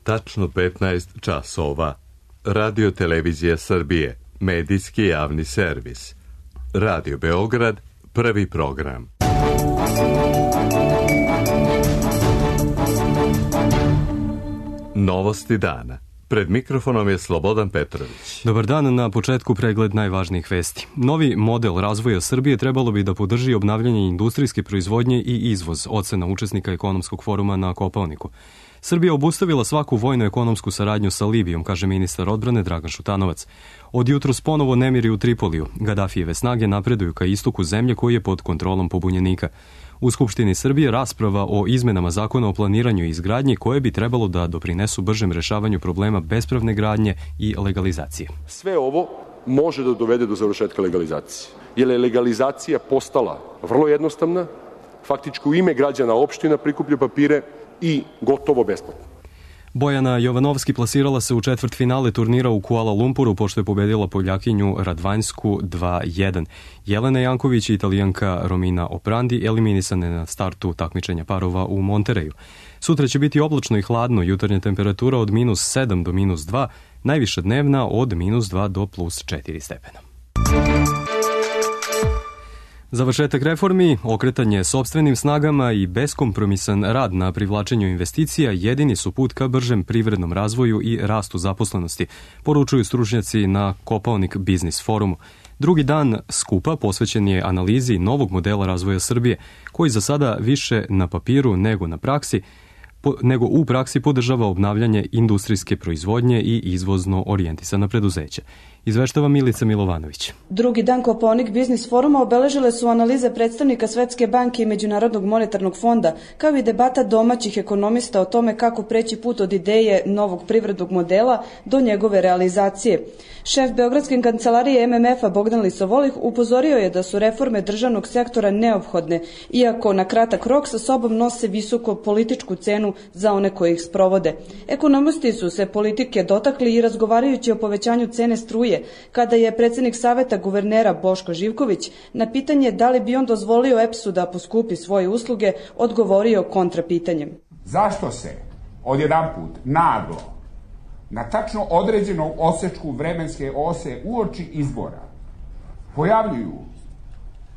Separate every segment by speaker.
Speaker 1: tačno 15 časova. Radio Televizija Srbije, medijski javni servis. Radio Beograd, prvi program. Novosti dana. Pred mikrofonom je Slobodan Petrović.
Speaker 2: Dobar dan, na početku pregled najvažnijih vesti. Novi model razvoja Srbije trebalo bi da podrži obnavljanje industrijske proizvodnje i izvoz, ocena učesnika ekonomskog foruma na Kopaoniku. Srbija obustavila svaku vojno-ekonomsku saradnju sa Libijom, kaže ministar odbrane Dragan Šutanovac. Od jutros ponovo nemiri u Tripoliju. Gadafijeve snage napreduju ka istoku zemlje koji je pod kontrolom pobunjenika. U Skupštini Srbije rasprava o izmenama zakona o planiranju i izgradnji koje bi trebalo da doprinesu bržem rešavanju problema bespravne gradnje i legalizacije.
Speaker 3: Sve ovo može da dovede do završetka legalizacije, jer je legalizacija postala vrlo jednostavna, faktički u ime građana opština prikuplja papire i gotovo besplatno.
Speaker 2: Bojana Jovanovski plasirala se u četvrtfinale turnira u Kuala Lumpuru pošto je pobedila Poljakinju Radvanjsku 2-1. Jelena Janković i Italijanka Romina Oprandi eliminisane na startu takmičenja parova u Montereju. Sutra će biti oblačno i hladno, jutarnja temperatura od -7 do -2, najviša dnevna od -2 do +4 stepena. Završetak reformi, okretanje sopstvenim snagama i beskompromisan rad na privlačenju investicija jedini su put ka bržem privrednom razvoju i rastu zaposlenosti, poručuju stručnjaci na Kopaonik Biznis forumu. Drugi dan skupa posvećen je analizi novog modela razvoja Srbije, koji za sada više na papiru nego u praksi podržava obnavljanje industrijske proizvodnje i izvozno orijentisana preduzeća. Izveštava Milica Milovanović.
Speaker 4: Drugi dan Kopaonik Biznis foruma obeležile su analize predstavnika Svetske banke i Međunarodnog monetarnog fonda, kao i debata domaćih ekonomista o tome kako preći put od ideje novog privrednog modela do njegove realizacije. Šef Beogradske kancelarije MMF-a Bogdan Lisovolih upozorio je da su reforme državnog sektora neophodne, iako na kratak rok sa sobom nose visoko političku cenu za one koji ih sprovode. Ekonomisti su se politike dotakli i razgovarajući o povećanju cene struje, kada je predsjednik Saveta guvernera Boško Živković na pitanje da li bi on dozvolio EPS-u da poskupi svoje usluge, odgovorio kontrapitanjem.
Speaker 5: Zašto se odjedanput naglo na tačno određenom osečku vremenske ose uoči izbora pojavljuju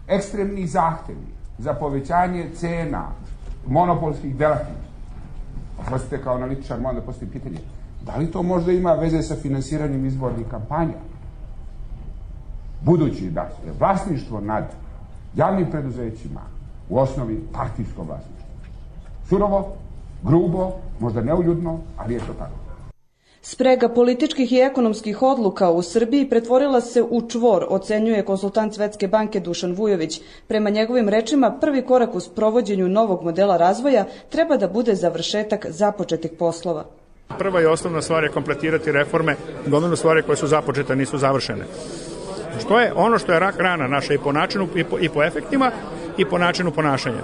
Speaker 5: ekstremni zahtevi za povećanje cena monopolskih delatnosti? Oprostite, kao analitičar moram da postavim pitanje, da li to možda ima veze sa finansiranjem izbornih kampanja? Budući da je vlasništvo nad javnim preduzećima u osnovi partijsko vlasništvo. Surovo, grubo, možda neuljudno, ali je to tako.
Speaker 4: Sprega političkih i ekonomskih odluka u Srbiji pretvorila se u čvor, ocenjuje konsultant Svetske banke Dušan Vujović. Prema njegovim rečima, prvi korak u sprovođenju novog modela razvoja treba da bude završetak započetih poslova.
Speaker 6: Prva i osnovna stvar je kompletirati reforme, gomilu stvari koje su započete, nisu završene. Što je ono što je rak rana naša i po načinu i po efektima i po načinu ponašanja.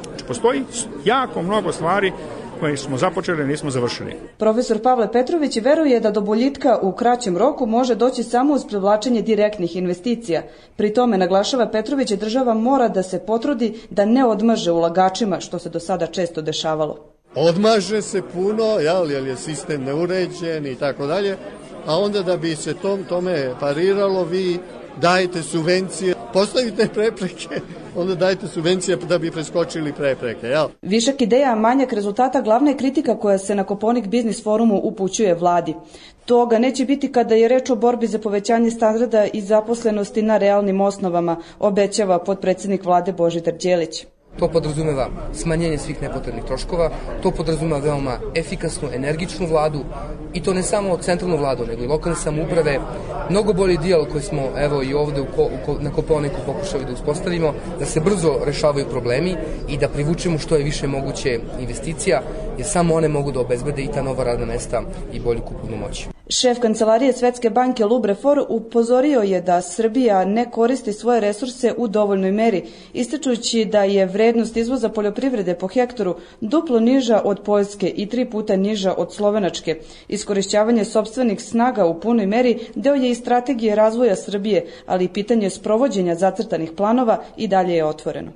Speaker 6: Znači, postoji jako mnogo stvari koje smo započeli, nismo završili.
Speaker 4: Profesor Pavle Petrović veruje da do boljitka u kraćem roku može doći samo uz privlačenje direktnih investicija. Pri tome, naglašava Petrović, država mora da se potrudi da ne odmaže ulagačima, što se do sada često dešavalo.
Speaker 7: Odmaže se puno, jer je sistem neuređen i tako dalje, a onda da bi se tome pariralo, vi dajete subvencije, postavite prepreke, onda dajete subvencije da bi preskočili prepreke. Jel?
Speaker 4: Višak ideja, manjak rezultata, glavna je kritika koja se na Kopaonik Biznis forumu upućuje vladi. Toga neće biti kada je reč o borbi za povećanje standarda i zaposlenosti na realnim osnovama, obećava potpredsjednik vlade Božidar Đelić.
Speaker 8: To podrazumeva smanjenje svih nepotrebnih troškova, to podrazumeva veoma efikasnu, energičnu vladu i to ne samo centralnu vladu, nego i lokalne samouprave. Mnogo bolji dijalog koji smo evo i ovde na Kopaoniku pokušali da uspostavimo, da se brzo rešavaju problemi i da privučemo što je više moguće investicija, jer samo one mogu da obezbede i ta nova radna mesta i bolju kupovnu moć.
Speaker 4: Šef kancelarije Svetske banke Lubre For upozorio je da Srbija ne koristi svoje resurse u dovoljnoj meri, ističući da je vrednost izvoza poljoprivrede po hektaru duplo niža od Poljske i 3 puta niža od Slovenačke. Iskorišćavanje sopstvenih snaga u punoj meri deo je i strategije razvoja Srbije, ali i pitanje sprovođenja zacrtanih planova i dalje je otvoreno.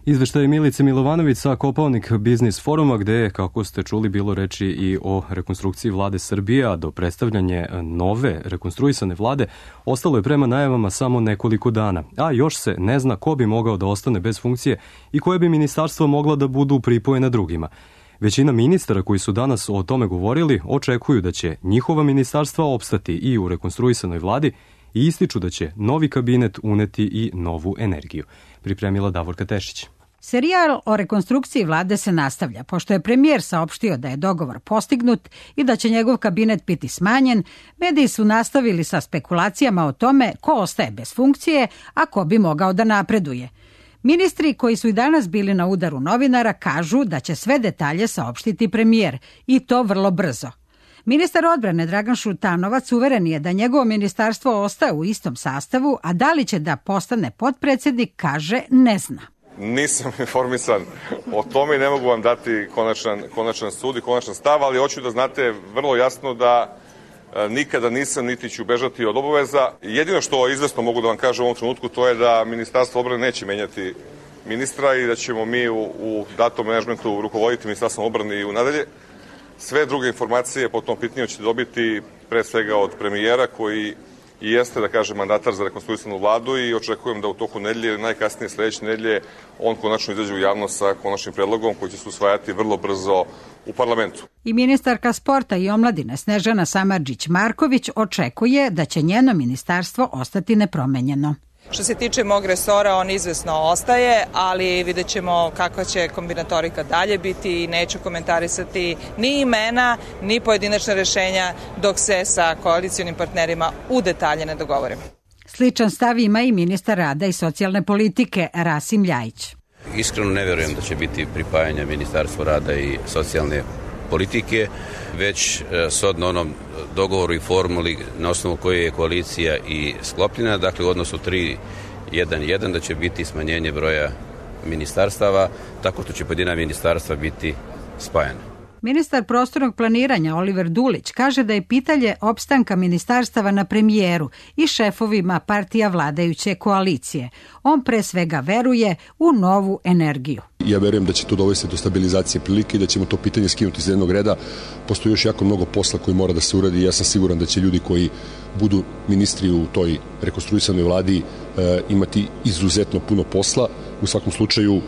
Speaker 2: Izveštaj Milice Milovanović sa Kopaonik Biznis foruma, gde je, kako ste čuli, bilo reči i o rekonstrukciji vlade Srbije, a do predstavljanja nove rekonstruisane vlade ostalo je prema najavama samo nekoliko dana, a još se ne zna ko bi mogao da ostane bez funkcije i koje bi ministarstva mogla da budu pripojena drugima. Većina ministara koji su danas o tome govorili očekuju da će njihova ministarstva opstati i u rekonstruisanoj vladi i ističu da će novi kabinet uneti i novu energiju. Pripremila Davorka Tešić.
Speaker 9: Serijal o rekonstrukciji vlade se nastavlja, pošto je premijer saopštio da je dogovor postignut i da će njegov kabinet biti smanjen. Mediji su nastavili sa spekulacijama o tome ko ostaje bez funkcije, a ko bi mogao da napreduje. Ministri koji su i danas bili na udaru novinara kažu da će sve detalje saopštiti premijer i to vrlo brzo. Ministar odbrane Dragan Šutanovac uveren je da njegovo ministarstvo ostaje u istom sastavu, a da li će da postane potpredsednik, kaže, ne zna.
Speaker 10: Nisam informisan o tome i ne mogu vam dati konačan sud i konačan stav, ali hoću da znate vrlo jasno da nikada nisam niti ću bežati od obaveza. Jedino što izvesno mogu da vam kažem u ovom trenutku to je da Ministarstvo odbrane neće menjati ministra i da ćemo mi u datom menadžmentu rukovoditi Ministarstvom odbrane i u nadalje. Sve druge informacije po tom pitanju ćete dobiti pre svega od premijera koji i jeste, da kažem, mandatar za rekonstruisanu vladu i očekujem da u toku nedelje, najkasnije sledeće nedelje, on konačno izađe u javnost sa konačnim predlogom koji će se usvajati vrlo brzo u parlamentu.
Speaker 9: I ministarka sporta i omladine Snežana Samardžić-Marković očekuje da će njeno ministarstvo ostati nepromenjeno.
Speaker 11: Što se tiče mog resora, on izvesno ostaje, ali vidjet ćemo kakva će kombinatorika dalje biti i neću komentarisati ni imena, ni pojedinačne rešenja dok se sa koalicionim partnerima u detalje ne dogovorimo.
Speaker 9: Sličan stav ima i ministar rada i socijalne politike Rasim Ljajić.
Speaker 12: Iskreno ne verujem da će biti pripajanja Ministarstva rada i socijalne politike, već shodno onom dogovoru i formuli na osnovu koje je koalicija i sklopljena, dakle u odnosu 3-1-1 da će biti smanjenje broja ministarstava, tako što će pojedina ministarstva biti spajana.
Speaker 9: Ministar prostornog planiranja Oliver Dulić kaže da je pitanje opstanka ministarstava na premijeru i šefovima partija vladajuće koalicije. On pre svega veruje u novu energiju.
Speaker 3: Ja verujem da će to dovesti do stabilizacije prilike i da ćemo to pitanje skinuti iz jednog reda. Postoji još jako mnogo posla koji mora da se uradi i ja sam siguran da će ljudi koji budu ministri u toj rekonstruisanoj vladi imati izuzetno puno posla. U svakom slučaju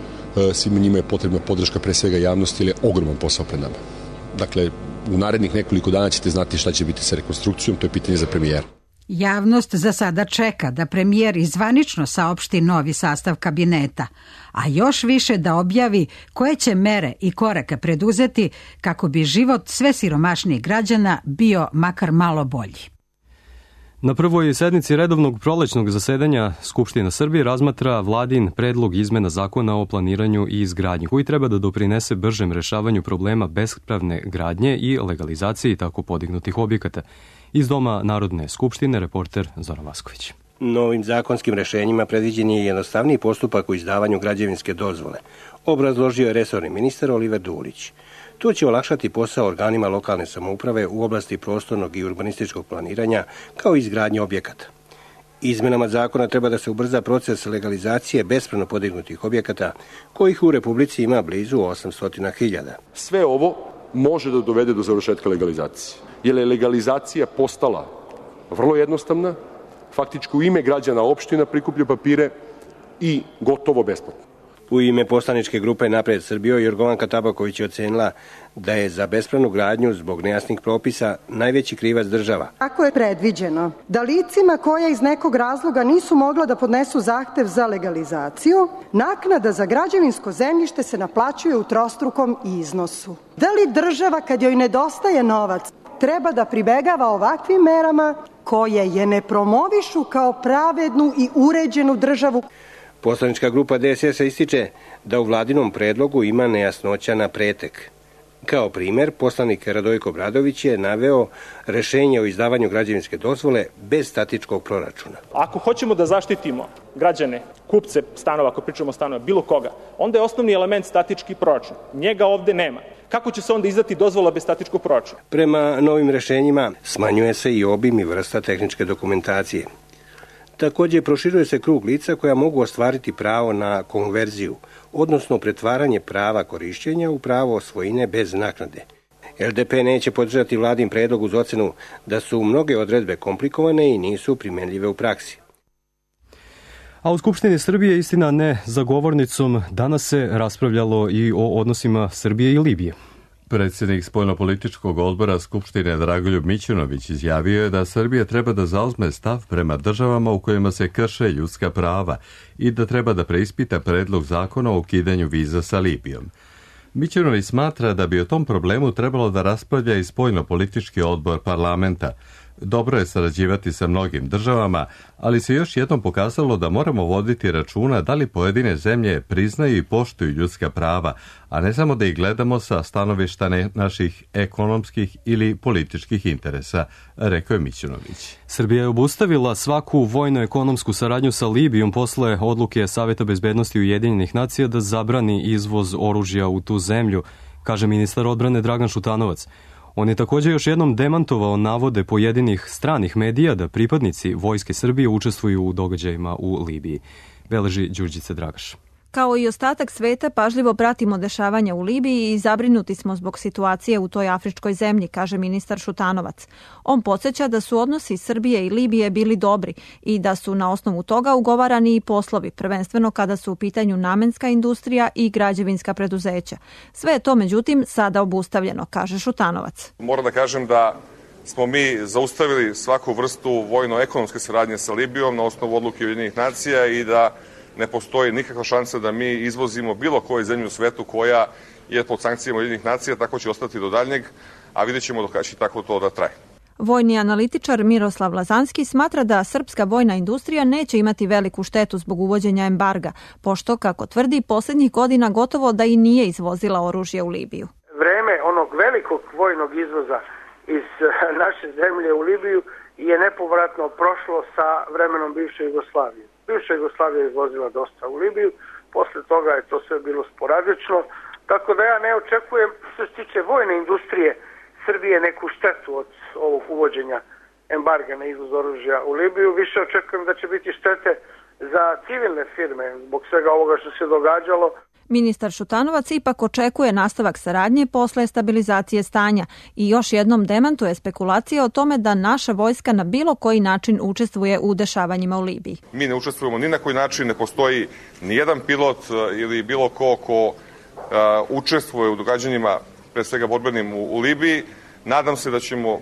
Speaker 3: svima njima je potrebna podrška pre svega javnosti, ili je ogroman posao pred nama. Dakle, u narednih nekoliko dana ćete znati šta će biti sa rekonstrukcijom, to je pitanje za premijera.
Speaker 9: Javnost za sada čeka da premijer izvanično saopšti novi sastav kabineta, a još više da objavi koje će mere i korake preduzeti kako bi život sve siromašnijih građana bio makar malo bolji.
Speaker 2: Na prvoj sednici redovnog prolećnog zasedanja Skupština Srbije razmatra vladin predlog izmena zakona o planiranju i izgradnji, koji treba da doprinese bržem rešavanju problema bespravne gradnje i legalizaciji tako podignutih objekata. Iz Doma Narodne skupštine, reporter Zoran Vasković.
Speaker 13: Novim zakonskim rešenjima predviđen je jednostavniji postupak u izdavanju građevinske dozvole, obrazložio je resorni ministar Oliver Dulić. To će olakšati posao organima lokalne samouprave u oblasti prostornog i urbanističkog planiranja kao i izgradnje objekata. Izmenama zakona treba da se ubrza proces legalizacije bespravno podignutih objekata, kojih u Republici ima blizu 800.000.
Speaker 3: Sve ovo može da dovede do završetka legalizacije, jer je legalizacija postala vrlo jednostavna, faktički u ime građana opština prikuplja papire i gotovo besplatno.
Speaker 13: U ime poslaničke grupe Napred Srbijo, Jorgovanka Tabaković je ocenila da je za bespravnu gradnju zbog nejasnih propisa najveći krivac država.
Speaker 14: Ako je predviđeno da licima koja iz nekog razloga nisu mogla da podnesu zahtev za legalizaciju, naknada za građevinsko zemljište se naplaćuje u trostrukom iznosu. Da li država, kad joj nedostaje novac, treba da pribegava ovakvim merama koje je ne promovišu kao pravednu i uređenu državu?
Speaker 13: Poslanička grupa DSS ističe da u vladinom predlogu ima nejasnoća na pretek. Kao primer, poslanik Radojko Bradović je naveo rešenje o izdavanju građevinske dozvole bez statičkog proračuna.
Speaker 15: Ako hoćemo da zaštitimo građane, kupce stanova, ako pričamo o stanovima, bilo koga, onda je osnovni element statički proračun. Njega ovde nema. Kako će se onda izdati dozvola bez statičkog proračuna?
Speaker 13: Prema novim rešenjima smanjuje se i obim i vrsta tehničke dokumentacije. Također proširuje se krug lica koja mogu ostvariti pravo na konverziju, odnosno pretvaranje prava korišćenja u pravo svojine bez naknade. LDP neće podržati vladin predlog uz ocenu da su mnoge odredbe komplikovane i nisu primenljive u praksi.
Speaker 2: A u Skupštini Srbije, istina ne za govornicom, danas se raspravljalo i o odnosima Srbije i Libije.
Speaker 1: Predsjednik spoljnopolitičkog odbora Skupštine Dragoljub Mićunović izjavio je da Srbija treba da zauzme stav prema državama u kojima se krše ljudska prava i da treba da preispita predlog zakona o ukidanju viza sa Libijom. Mićunović smatra da bi o tom problemu trebalo da raspravlja i spoljnopolitički odbor parlamenta. Dobro je sarađivati sa mnogim državama, ali se još jednom pokazalo da moramo voditi računa da li pojedine zemlje priznaju i poštuju ljudska prava, a ne samo da ih gledamo sa stanovišta naših ekonomskih ili političkih interesa, rekao je Mićunović.
Speaker 2: Srbija je obustavila svaku vojno-ekonomsku saradnju sa Libijom posle odluke Saveta bezbednosti Ujedinjenih nacija da zabrani izvoz oružja u tu zemlju, kaže ministar odbrane Dragan Šutanovac. On je također još jednom demantovao navode pojedinih stranih medija da pripadnici Vojske Srbije učestvuju u događajima u Libiji. Beleži Đurđica Dragaš.
Speaker 16: Kao i ostatak sveta, pažljivo pratimo dešavanja u Libiji i zabrinuti smo zbog situacije u toj afričkoj zemlji, kaže ministar Šutanovac. On podsjeća da su odnosi Srbije i Libije bili dobri i da su na osnovu toga ugovarani i poslovi, prvenstveno kada su u pitanju namenska industrija i građevinska preduzeća. Sve je to, međutim, sada obustavljeno, kaže Šutanovac.
Speaker 10: Moram da kažem da smo mi zaustavili svaku vrstu vojno-ekonomske saradnje sa Libijom na osnovu odluke Ujedinjenih nacija i da ne postoji nikakva šansa da mi izvozimo bilo koju zemlju u svetu koja je pod sankcijama Ujedinjenih nacija, tako će ostati do daljnjeg, a vidjet ćemo dok će tako to da traje.
Speaker 16: Vojni analitičar Miroslav Lazanski smatra da srpska vojna industrija neće imati veliku štetu zbog uvođenja embarga, pošto, kako tvrdi, posljednjih godina gotovo da i nije izvozila oružje u Libiju.
Speaker 17: Vreme onog velikog vojnog izvoza iz naše zemlje u Libiju je nepovratno prošlo sa vremenom bivše Jugoslavije. Bivša Jugoslavija je izvozila dosta u Libiju, posle toga je to sve bilo sporadično, tako da ja ne očekujem, što se tiče vojne industrije Srbije, neku štetu od ovog uvođenja embarga na izvoz oružja u Libiju. Više očekujem da će biti štete za civilne firme zbog svega ovoga što se događalo.
Speaker 16: Ministar Šutanovac ipak očekuje nastavak saradnje posle stabilizacije stanja i još jednom demantuje spekulacije o tome da naša vojska na bilo koji način učestvuje u dešavanjima u Libiji.
Speaker 10: Mi ne učestvujemo ni na koji način, ne postoji ni jedan pilot ili bilo ko učestvuje u događanjima, pre svega borbenim u Libiji. Nadam se da ćemo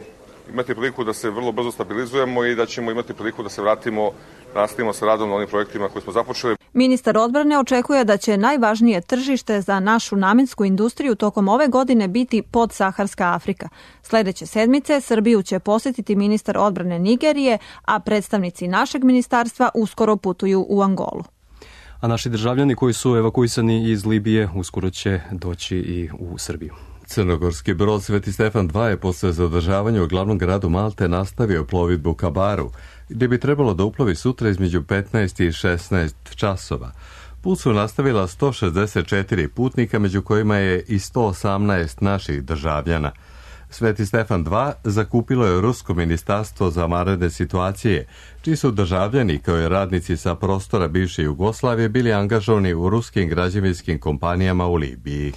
Speaker 10: imati priliku da se vrlo brzo stabilizujemo i da ćemo imati priliku da se vratimo, nastavimo sa radom na onim projektima koje smo započeli.
Speaker 16: Ministar odbrane očekuje da će najvažnije tržište za našu namensku industriju tokom ove godine biti podsaharska Afrika. Sljedeće sedmice Srbiju će posjetiti ministar odbrane Nigerije, a predstavnici našeg ministarstva uskoro putuju u Angolu.
Speaker 2: A naši državljani koji su evakuisani iz Libije uskoro će doći i u Srbiju.
Speaker 1: Crnogorski brod Sveti Stefan II je posle zadržavanja u glavnom gradu Malte nastavio plovidbu ka Baru, gdje bi trebalo da uplovi sutra između 15 i 16 časova. Put su nastavila 164 putnika, među kojima je i 118 naših državljana. Sveti Stefan II zakupilo je Rusko ministarstvo za vanredne situacije, čiji su državljani kao i radnici sa prostora bivše Jugoslavije bili angažovani u ruskim građevinskim kompanijama u Libiji.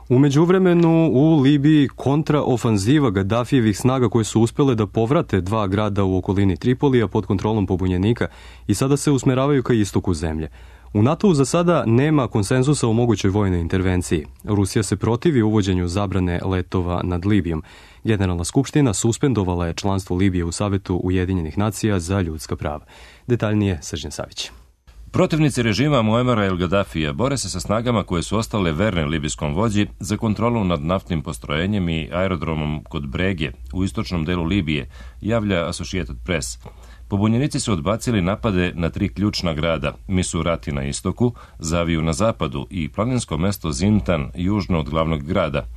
Speaker 2: U međuvremenu u Libiji kontraofanziva Gaddafijevih snaga koje su uspjele da povrate dva grada u okolini Tripolija pod kontrolom pobunjenika i sada se usmeravaju ka istoku zemlje. U NATO-u za sada nema konsenzusa o mogućoj vojnoj intervenciji. Rusija se protivi uvođenju zabrane letova nad Libijom. Generalna skupština suspendovala je članstvo Libije u Savetu Ujedinjenih nacija za ljudska prava. Detaljnije Srđan Savić.
Speaker 18: Protivnici režima Muamara el Gaddafija bore se sa snagama koje su ostale verne libijskom vođi za kontrolu nad naftnim postrojenjem i aerodromom kod Brege u istočnom delu Libije, javlja Associated Press. Pobunjenici su odbacili napade na 3 ključna grada, Misurati na istoku, Zaviju na zapadu i planinsko mesto Zintan južno od glavnog grada.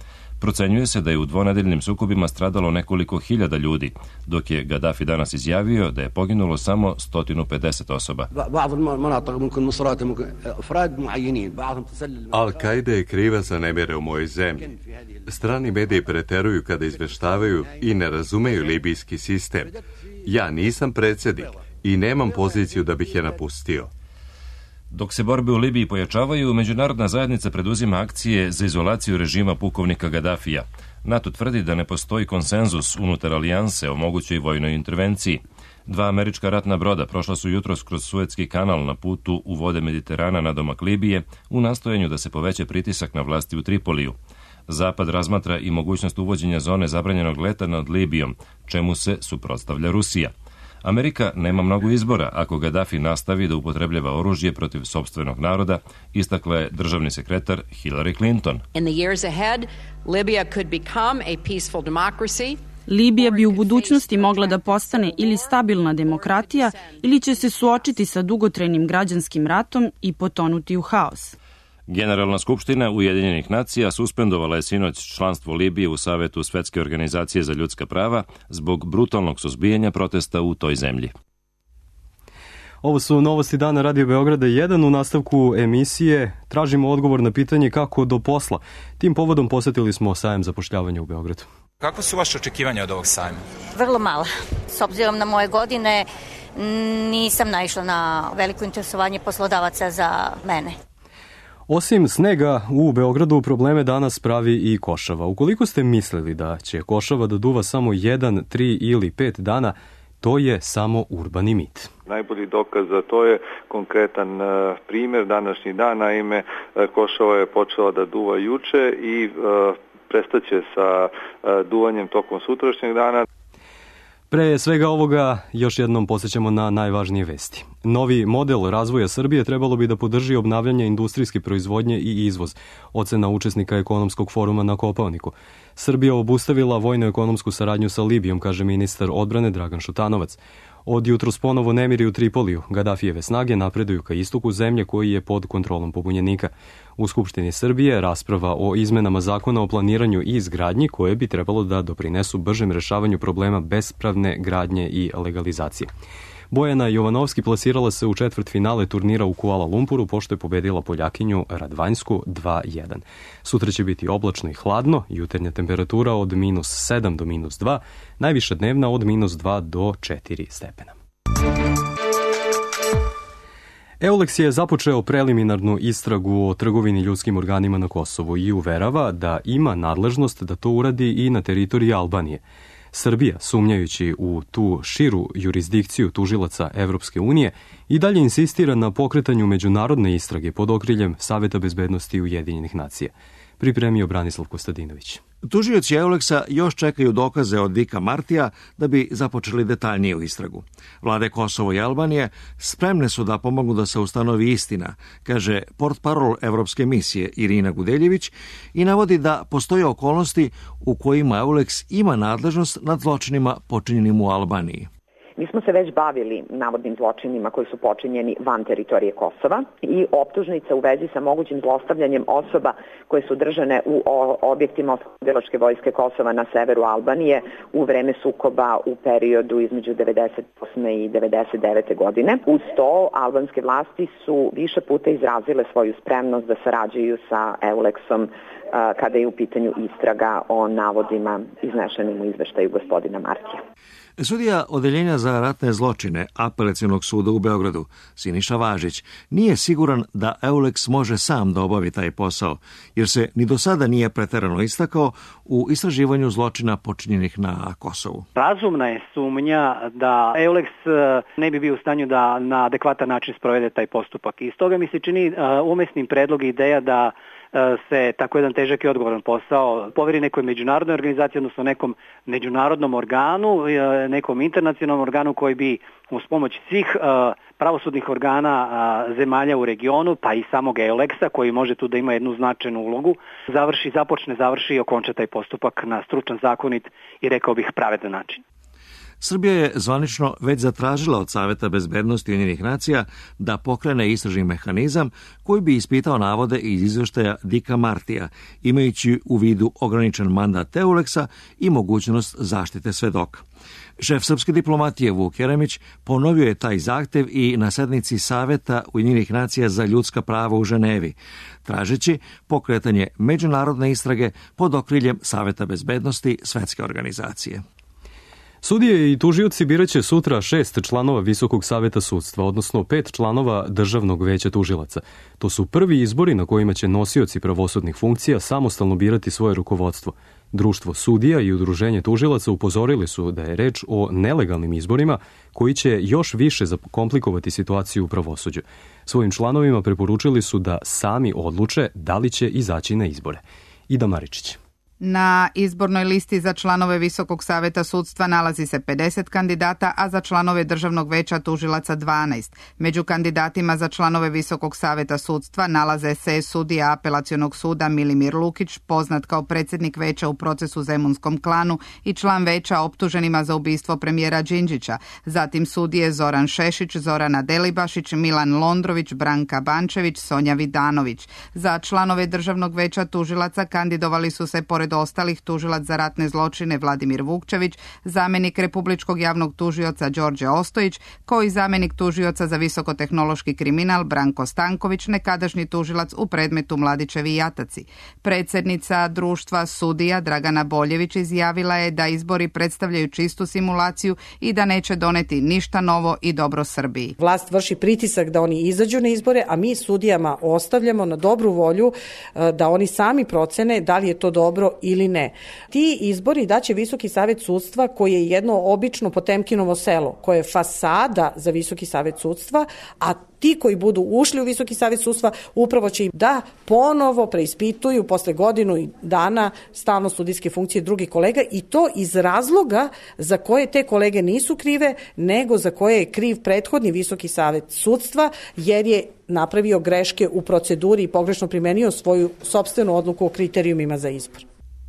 Speaker 18: Procenjuje se da je u dvonedeljnim sukobima stradalo nekoliko hiljada ljudi, dok je Gaddafi danas izjavio da je poginulo samo 150 osoba.
Speaker 1: Al-Qaida je kriva za nemire u mojoj zemlji. Strani mediji preteruju kada izveštavaju i ne razumeju libijski sistem. Ja nisam predsjednik i nemam poziciju da bih je napustio.
Speaker 18: Dok se borbe u Libiji pojačavaju, međunarodna zajednica preduzima akcije za izolaciju režima pukovnika Gadafija. NATO tvrdi da ne postoji konsenzus unutar alijanse o mogućoj vojnoj intervenciji. 2 američka ratna broda prošla su jutros kroz Suetski kanal na putu u vode Mediterana nadomak Libije u nastojanju da se poveća pritisak na vlasti u Tripoliju. Zapad razmatra i mogućnost uvođenja zone zabranjenog leta nad Libijom, čemu se suprotstavlja Rusija. Amerika nema mnogo izbora ako Gaddafi nastavi da upotrebljava oružje protiv sopstvenog naroda, istakla je državni sekretar Hillary Clinton.
Speaker 19: In the years ahead, Libya could become a peaceful democracy.
Speaker 20: Libija bi u budućnosti mogla da postane ili stabilna demokratija ili će se suočiti sa dugotrajnim građanskim ratom i potonuti u haos.
Speaker 18: Generalna skupština Ujedinjenih nacija suspendovala je sinoć članstvo Libije u Savetu Svetske organizacije za ljudska prava zbog brutalnog suzbijanja protesta u toj zemlji.
Speaker 2: Ovo su novosti dana Radio Beograda 1. U nastavku emisije tražimo odgovor na pitanje kako do posla. Tim povodom posetili smo sajam zapošljavanja u Beogradu.
Speaker 21: Kako su vaše očekivanja od ovog sajma?
Speaker 22: Vrlo mala. S obzirom na moje godine nisam naišla na veliko interesovanje poslodavaca za mene.
Speaker 2: Osim snega u Beogradu, probleme danas pravi i košava. Ukoliko ste mislili da će košava da duva samo 1, 3 ili 5 dana, to je samo urbani mit.
Speaker 23: Najbolji dokaz za to je konkretan primjer današnji dan, naime košava je počela da duva juče i prestaće sa duvanjem tokom sutrašnjeg dana.
Speaker 2: Pre svega ovoga još jednom podsjećamo na najvažnije vesti. Novi model razvoja Srbije trebalo bi da podrži obnavljanje industrijske proizvodnje i izvoz, ocena učesnika ekonomskog foruma na Kopaoniku. Srbija obustavila vojno-ekonomsku saradnju sa Libijom, kaže ministar odbrane Dragan Šutanovac. Od jutros ponovo nemiri u Tripoliju. Gadafijeve snage napreduju ka istoku zemlje koji je pod kontrolom pobunjenika. U Skupštini Srbije rasprava o izmenama zakona o planiranju i izgradnji koje bi trebalo da doprinesu bržem rešavanju problema bespravne gradnje i legalizacije. Bojana Jovanovski plasirala se u četvrtfinale turnira u Kuala Lumpuru pošto je pobedila Poljakinju Radvanjsku 2-1. Sutra će biti oblačno i hladno, jutarnja temperatura od -7 do -2, najviša dnevna od -2 do 4 stepena. EULEX je započeo preliminarnu istragu o trgovini ljudskim organima na Kosovu i uverava da ima nadležnost da to uradi i na teritoriji Albanije. Srbija, sumnjajući u tu širu jurisdikciju tužilaca Evropske unije, i dalje insistira na pokretanju međunarodne istrage pod okriljem Saveta bezbednosti Ujedinjenih nacija. Pripremio Branislav Kostadinović.
Speaker 24: Tužioci EULEX-a još čekaju dokaze od Dika Martija da bi započeli detaljniju istragu. Vlade Kosovo i Albanije spremne su da pomognu da se ustanovi istina, kaže portparol Evropske misije Irina Gudeljević i navodi da postoje okolnosti u kojima EULEX ima nadležnost nad zločinima počinjenim u Albaniji.
Speaker 25: Mi smo se već bavili navodnim zločinima koji su počinjeni van teritorije Kosova i optužnica u vezi sa mogućim zlostavljanjem osoba koje su držane u objektima oslobodilačke vojske Kosova na severu Albanije u vreme sukoba u periodu između 98. i 99. godine. Uz to, albanske vlasti su više puta izrazile svoju spremnost da sarađuju sa EULEX-om kada je u pitanju istraga o navodima iznešenim u izveštaju gospodina Martija.
Speaker 24: Sudija Odeljenja za ratne zločine Apelacionog suda u Beogradu, Siniša Važić, nije siguran da EULEX može sam da obavi taj posao, jer se ni do sada nije preterano istakao u istraživanju zločina počinjenih na Kosovu.
Speaker 26: Razumna je sumnja da EULEX ne bi bio u stanju da na adekvatan način sprovede taj postupak. I stoga mi se čini umesnim predlog i ideja da se tako jedan težak i odgovoran posao poveri nekoj međunarodnoj organizaciji, odnosno nekom međunarodnom organu, nekom internacionalnom organu koji bi uz pomoć svih pravosudnih organa zemalja u regionu, pa i samog EULEX-a, koji može tu da ima jednu značajnu ulogu, završi i okonča taj postupak na stručan, zakonit i rekao bih pravedan način.
Speaker 24: Srbija je zvanično već zatražila od Saveta bezbednosti Ujedinjenih nacija da pokrene istražni mehanizam koji bi ispitao navode iz izveštaja Dika Martija, imajući u vidu ograničen mandat EULEX-a i mogućnost zaštite svedoka. Šef srpske diplomatije Vuk Jeremić ponovio je taj zahtev i na sednici Saveta Ujedinjenih nacija za ljudska prava u Ženevi, tražeći pokretanje međunarodne istrage pod okriljem Saveta bezbednosti Svetske organizacije.
Speaker 2: Sudije i tužioci biraće sutra 6 članova Visokog saveta sudstva, odnosno 5 članova Državnog veća tužilaca. To su prvi izbori na kojima će nosioci pravosudnih funkcija samostalno birati svoje rukovodstvo. Društvo sudija i udruženje tužilaca upozorili su da je reč o nelegalnim izborima koji će još više zakomplikovati situaciju u pravosuđu. Svojim članovima preporučili su da sami odluče da li će izaći na izbore. Ida Maričić.
Speaker 4: Na izbornoj listi za članove Visokog saveta sudstva nalazi se 50 kandidata, a za članove Državnog veća tužilaca 12. Među kandidatima za članove Visokog saveta sudstva nalaze se sudija Apelacionog suda Milimir Lukić, poznat kao predsjednik veća u procesu Zemunskom klanu i član veća optuženima za ubistvo premijera Đinđića, zatim sudije Zoran Šešić, Zorana Delibašić, Milan Londrović, Branka Bančević, Sonja Vidanović. Za članove Državnog veća tužilaca kandidovali su se pored ostalih tužilac za ratne zločine Vladimir Vukčević, zamjenik republičkog javnog tužioca Đorđe Ostojić, kao i zamjenik tužioca za visokotehnološki kriminal Branko Stanković, nekadašnji tužilac u predmetu Mladićevi jataci. Predsjednica društva sudija Dragana Boljević izjavila je da izbori predstavljaju čistu simulaciju i da neće doneti ništa novo i dobro Srbiji.
Speaker 5: Vlast vrši pritisak da oni izađu na izbore, a mi sudijama ostavljamo na dobru volju da oni sami procene da li je to dobro ili ne. Ti izbori daće Visoki savet sudstva, koji je jedno obično Potemkinovo selo, koje je fasada za Visoki savet sudstva, a ti koji budu ušli u Visoki savet sudstva upravo će im da ponovo preispituju posle godinu dana stalno sudijske funkcije drugih kolega, i to iz razloga za koje te kolege nisu krive, nego za koje je kriv prethodni Visoki savet sudstva, jer je napravio greške u proceduri i pogrešno primenio svoju sopstvenu odluku o kriterijumima za izbor.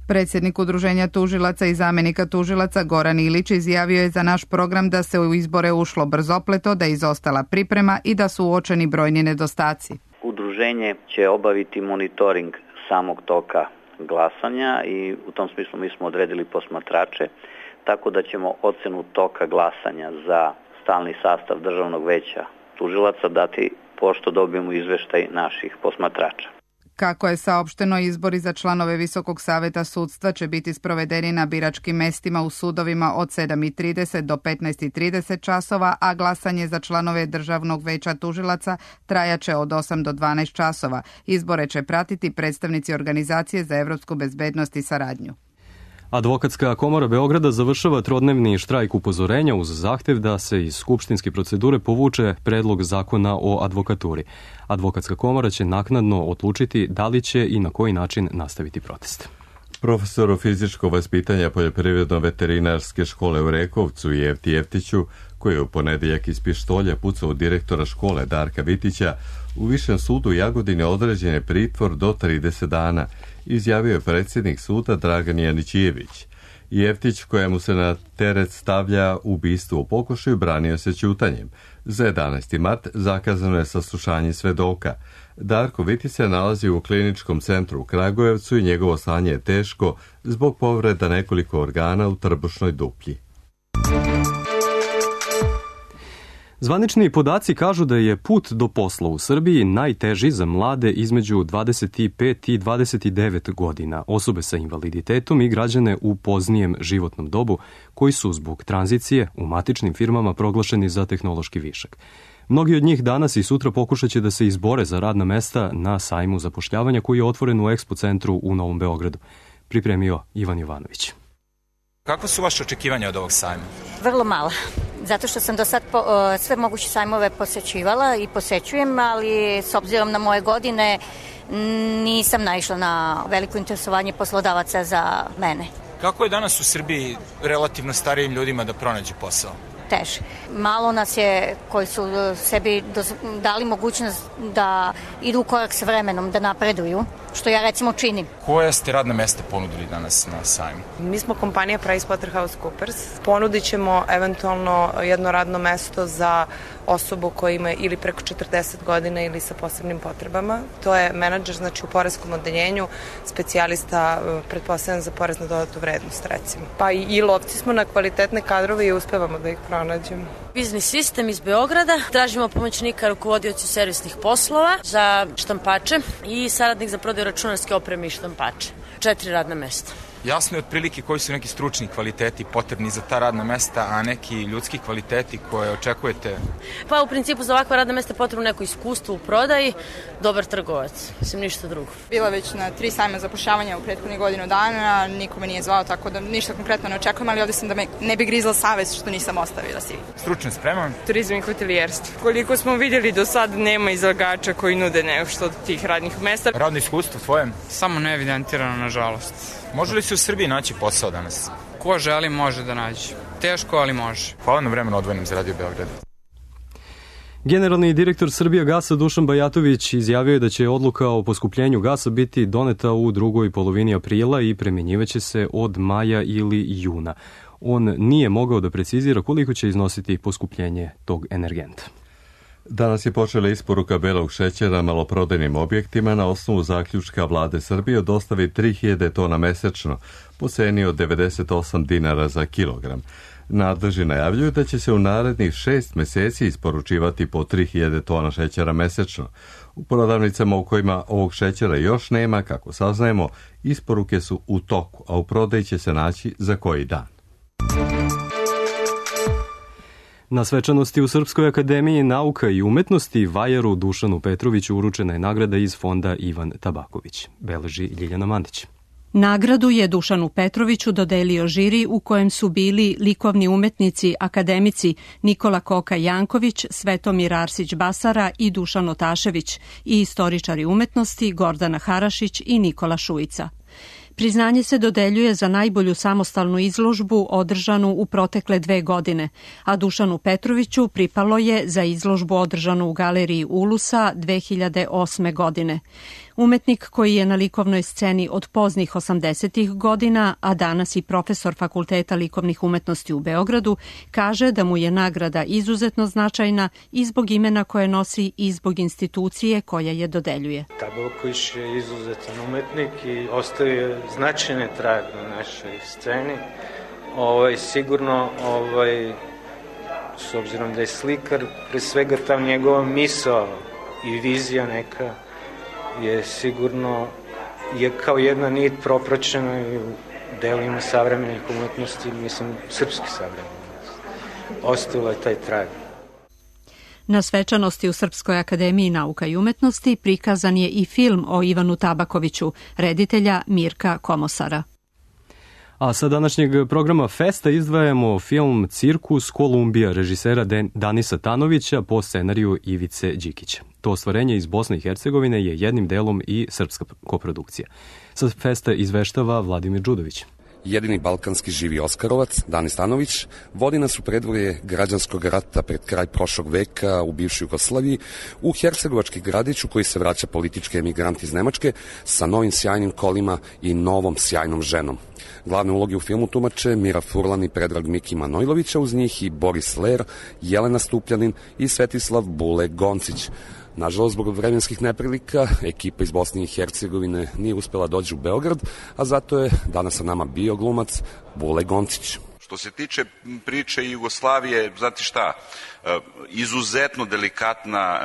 Speaker 4: Predsjednik Udruženja tužilaca i zamjenika tužilaca Goran Ilić izjavio je za naš program da se u izbore ušlo brzopleto, da je izostala priprema i da su uočeni brojni nedostaci.
Speaker 6: Udruženje će obaviti monitoring samog toka glasanja i u tom smislu mi smo odredili posmatrače, tako da ćemo ocenu toka glasanja za stalni sastav Državnog veća tužilaca dati pošto dobijemo izveštaj naših posmatrača.
Speaker 4: Kako je saopšteno, izbori za članove Visokog saveta sudstva će biti sprovedeni na biračkim mestima u sudovima od 7:30 do 15:30 časova, a glasanje za članove Državnog veća tužilaca trajaće od 8 do 12 časova. Izbore će pratiti predstavnici Organizacije za evropsku bezbednost i saradnju.
Speaker 2: Advokatska komora Beograda završava trodnevni štrajk upozorenja uz zahtev da se iz skupštinske procedure povuče predlog zakona o advokaturi. Advokatska komora će naknadno odlučiti da li će i na koji način nastaviti protest.
Speaker 1: Profesoru fizičkog vaspitanja Poljoprivredno-veterinarske škole u Rekovcu Jefti Jeftiću, koji je u ponedeljak iz pištolja pucao direktora škole Darka Vitića, u Višem sudu u Jagodini određen je pritvor do 30 dana, izjavio je predsjednik suda Dragan Janićijević. Jeftić, kojemu se na teret stavlja ubistvo u pokušaju, branio se ćutanjem. Za 11. mart zakazano je saslušanje svedoka. Darko Vitić se nalazi u kliničkom centru u Kragujevcu i njegovo stanje je teško zbog povreda nekoliko organa u trbušnoj duplji.
Speaker 2: Zvanični podaci kažu da je put do posla u Srbiji najteži za mlade između 25 i 29 godina, osobe sa invaliditetom i građane u poznijem životnom dobu koji su zbog tranzicije u matičnim firmama proglašeni za tehnološki višak. Mnogi od njih danas i sutra pokušat će da se izbore za radna mesta na sajmu zapošljavanja koji je otvoren u Expo centru u Novom Beogradu. Pripremio Ivan Jovanović.
Speaker 21: Kako su vaše očekivanja od ovog sajma?
Speaker 22: Vrlo mala, zato što sam do sad sve moguće sajmove posećivala i posećujem, ali s obzirom na moje godine nisam naišla na veliko interesovanje poslodavaca za mene.
Speaker 21: Kako je danas u Srbiji relativno starijim ljudima da pronađu posao?
Speaker 22: Teže. Malo nas je koji su sebi dali mogućnost da idu u korak s vremenom, da napreduju, što ja recimo činim.
Speaker 21: Koja ste radna mesta ponudili danas na sajmu?
Speaker 7: Mi smo kompanija PricewaterhouseCoopers. Ponudit ćemo eventualno jedno radno mesto za osobu koja ima ili preko 40 godina ili sa posebnim potrebama. To je menadžer, znači u poreskom odeljenju, specijalista, pretpostavljam za porez na dodatu vrednost, recimo. Pa i lovci smo na kvalitetne kadrove i uspevamo da ih pronađemo.
Speaker 8: Biznis sistem iz Beograda. Tražimo pomoćnika rukovodiocu servisnih poslova za štampače i saradnik za prodaju računarske opreme i štampače. 4 radna mesta.
Speaker 21: Jasno je otprilike koji su neki stručni kvaliteti potrebni za ta radna mesta, a neki ljudski kvaliteti koje očekujete?
Speaker 8: Pa u principu za ovakva radna mesta je potrebno neko iskustvo u prodaji, dobar trgovac, mislim ništa drugo.
Speaker 3: Bila već na 3 sajma zapošljavanja u prethodnih godinu dana, niko me nije zvao, tako da ništa konkretno ne očekujem, ali ovde sam da me ne bi grizla savest što nisam ostavila si.
Speaker 21: Stručna sprema?
Speaker 9: Turizam i hotelijerstvo. Koliko smo vidjeli do sad nema izlagača koji nude nešto od tih radnih mesta.
Speaker 21: Radno iskustvo tvoje?
Speaker 9: Samo neevidentirano, nažalost.
Speaker 21: Može li se u Srbiji naći posao danas?
Speaker 9: Ko želi može da nađe. Teško, ali može.
Speaker 21: Hvala na vremenu odvojenom za Radio Beograd.
Speaker 2: Generalni direktor Srbijagasa Dušan Bajatović izjavio je da će odluka o poskupljenju gasa biti doneta u drugoj polovini aprila i primjenjivaće se od maja ili juna. On nije mogao da precizira koliko će iznositi poskupljenje tog energenta.
Speaker 1: Danas je počela isporuka belog šećera maloprodajnim objektima na osnovu zaključka vlade Srbije o dostavi 3000 tona mesečno, po ceni od 98 dinara za kilogram. Nadležni najavljuju da će se u narednih 6 meseci isporučivati po 3000 tona šećera mesečno. U prodavnicama u kojima ovog šećera još nema, kako saznajemo, isporuke su u toku, a u prodaji će se naći za koji dan.
Speaker 2: Na svečanosti u Srpskoj akademiji nauka i umetnosti Vajaru Dušanu Petroviću uručena je nagrada iz fonda Ivan Tabaković, beleži Ljiljana Mandić.
Speaker 11: Nagradu je Dušanu Petroviću dodelio žiri u kojem su bili likovni umetnici, akademici Nikola Koka-Janković, Svetomir Arsić-Basara i Dušan Otašević i istoričari umetnosti Gordana Harašić i Nikola Šujica. Priznanje se dodeljuje za najbolju samostalnu izložbu održanu u protekle 2 godine, a Dušanu Petroviću pripalo je za izložbu održanu u galeriji Ulusa 2008. godine. Umetnik koji je na likovnoj sceni od poznih 80-ih godina, a danas i profesor Fakulteta likovnih umetnosti u Beogradu, kaže da mu je nagrada izuzetno značajna i zbog imena koje nosi i zbog institucije koja je dodeljuje.
Speaker 12: Tabaković je izuzetan umetnik i ostavio značajne trag na našoj sceni. Sigurno, s obzirom da je slikar, pre svega ta njegova misao i vizija neka je sigurno kao jedna nit propraćena i u delima savremenih umetnosti, mislim, srpski savremenih. Ostavila je taj trag.
Speaker 11: Na svečanosti u Srpskoj akademiji nauka i umetnosti prikazan je i film o Ivanu Tabakoviću, reditelja Mirka Komosara.
Speaker 2: A sa današnjeg programa Festa izdvajamo film Cirkus Kolumbija režisera Danisa Tanovića po scenariju Ivice Đikića. To ostvarenje iz Bosne i Hercegovine je jednim delom i srpska koprodukcija. Sa Festa izveštava Vladimir Đudović.
Speaker 14: Jedini balkanski živi Oskarovac, Danis Tanović, vodi nas u predvorje građanskog rata pred kraj prošlog veka u bivšoj Jugoslaviji, u hercegovački gradić u koji se vraća politički emigrant iz Nemačke sa novim sjajnim kolima i novom sjajnom ženom. Glavne uloge u filmu tumače Mira Furlan i Predrag Miki Manojlovića, uz njih i Boris Ler, Jelena Stupljanin i Svetislav Bule Goncić. Nažalost, zbog vremenskih neprilika, ekipa iz Bosne i Hercegovine nije uspela doći u Beograd, a zato je danas sa nama bio glumac Bule Goncić.
Speaker 15: Što se tiče priče Jugoslavije, znate šta, izuzetno delikatna,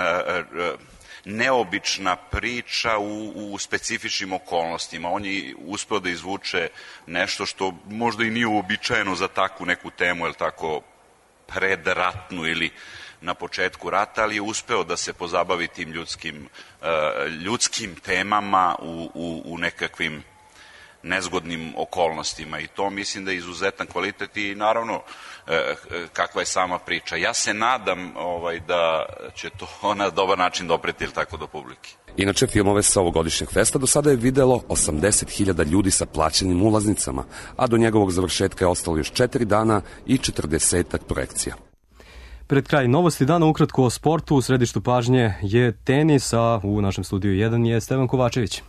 Speaker 15: neobična priča u specifičnim okolnostima. On je uspeo da izvuče nešto što možda i nije uobičajeno za takvu neku temu, ili tako predratnu ili na početku rata, ali je uspeo da se pozabavi tim ljudskim temama u nekakvim nezgodnim okolnostima, i to mislim da je izuzetan kvalitet i naravno kakva je sama priča. Ja se nadam da će to na dobar način dopreti ili tako do publike.
Speaker 14: Inače, filmove sa ovogodišnjeg festa do sada je videlo 80.000 ljudi sa plaćenim ulaznicama, a do njegovog završetka je ostalo još 4 dana i 40-ak projekcija.
Speaker 2: Pred kraj novosti dana ukratko o sportu. U središtu pažnje je tenis, a u našem studiju 1 je Stevan Kovačević.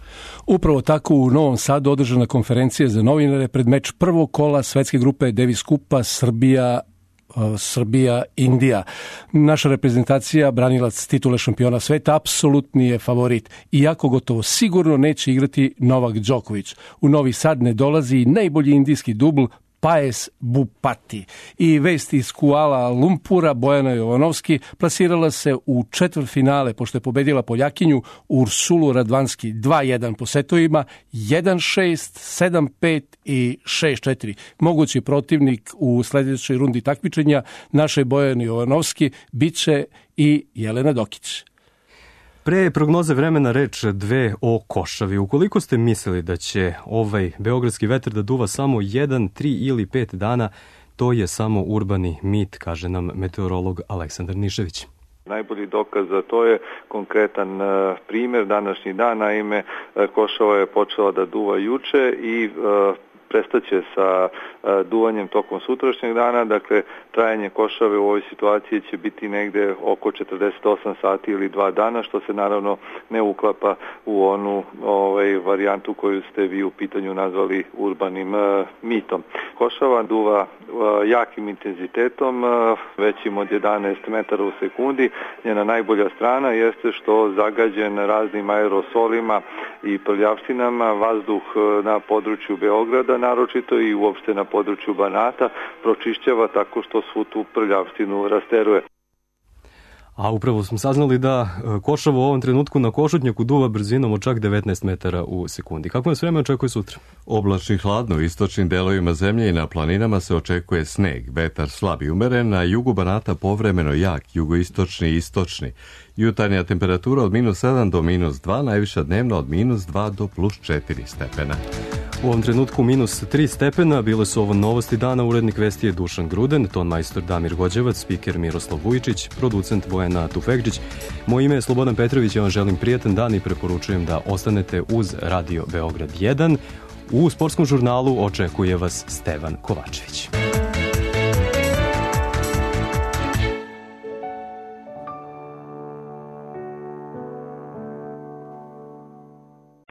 Speaker 27: Upravo tako u Novom Sadu održana konferencija za novinare pred meč prvog kola svetske grupe Davis Kupa Srbija-Indija. Naša reprezentacija, branilac titule šampiona sveta, apsolutni je favorit. Iako gotovo sigurno neće igrati Novak Đoković. U Novi Sad ne dolazi najbolji indijski dubl Paes Bupati. I vest iz Kuala Lumpura, Bojana Jovanovski plasirala se u četvrtfinale pošto je pobedila Poljakinju Ursulu Radvanski 2-1 po setovima 1-6, 7-5 i 6-4. Mogući protivnik u sljedećoj rundi takmičenja naše Bojane Jovanovski biće i Jelena Dokić.
Speaker 2: Pre prognoze vremena reč dve o košavi. Ukoliko ste mislili da će ovaj beogradski vetar da duva samo 1, 3 ili 5 dana, to je samo urbani mit, kaže nam meteorolog Aleksandar Nišević.
Speaker 23: Najbolji dokaz za to je konkretan primjer današnji dan, naime košava je počela da duva juče i prestaće sa duvanjem tokom sutrašnjeg dana, dakle trajanje košave u ovoj situaciji će biti negde oko 48 sati ili 2 dana, što se naravno ne uklapa u onu varijantu koju ste vi u pitanju nazvali urbanim mitom. Košava duva jakim intenzitetom, većim od 11 metara u sekundi. Njena najbolja strana jeste što zagađen raznim aerosolima i prljavštinama vazduh na području Beograda, naročito i uopšte na području Banata, pročišćava tako što svu tu prljavštinu rasteruje.
Speaker 2: A upravo smo saznali da košava u ovom trenutku na Košutnjaku duva brzinom od čak 19 metara u sekundi. Kako nas vreme očekuje sutra?
Speaker 1: Oblačno i hladno u istočnim delovima zemlje i na planinama se očekuje sneg. Vetar slab i umeren, na jugu Banata povremeno jak, jugoistočni i istočni. Jutarnja temperatura od -7 do -2, najviša dnevno od -2 do +4 stepena.
Speaker 2: U ovom trenutku -3 stepena, bile su ovo novosti dana, urednik vesti je Dušan Gruden, ton majstor Damir Gođevac, spiker Miroslav Vujčić, producent Bojana Tufekđić. Moje ime je Slobodan Petrović, ja vam želim prijatan dan i preporučujem da ostanete uz Radio Beograd 1. U sportskom žurnalu očekuje vas Stevan Kovačević.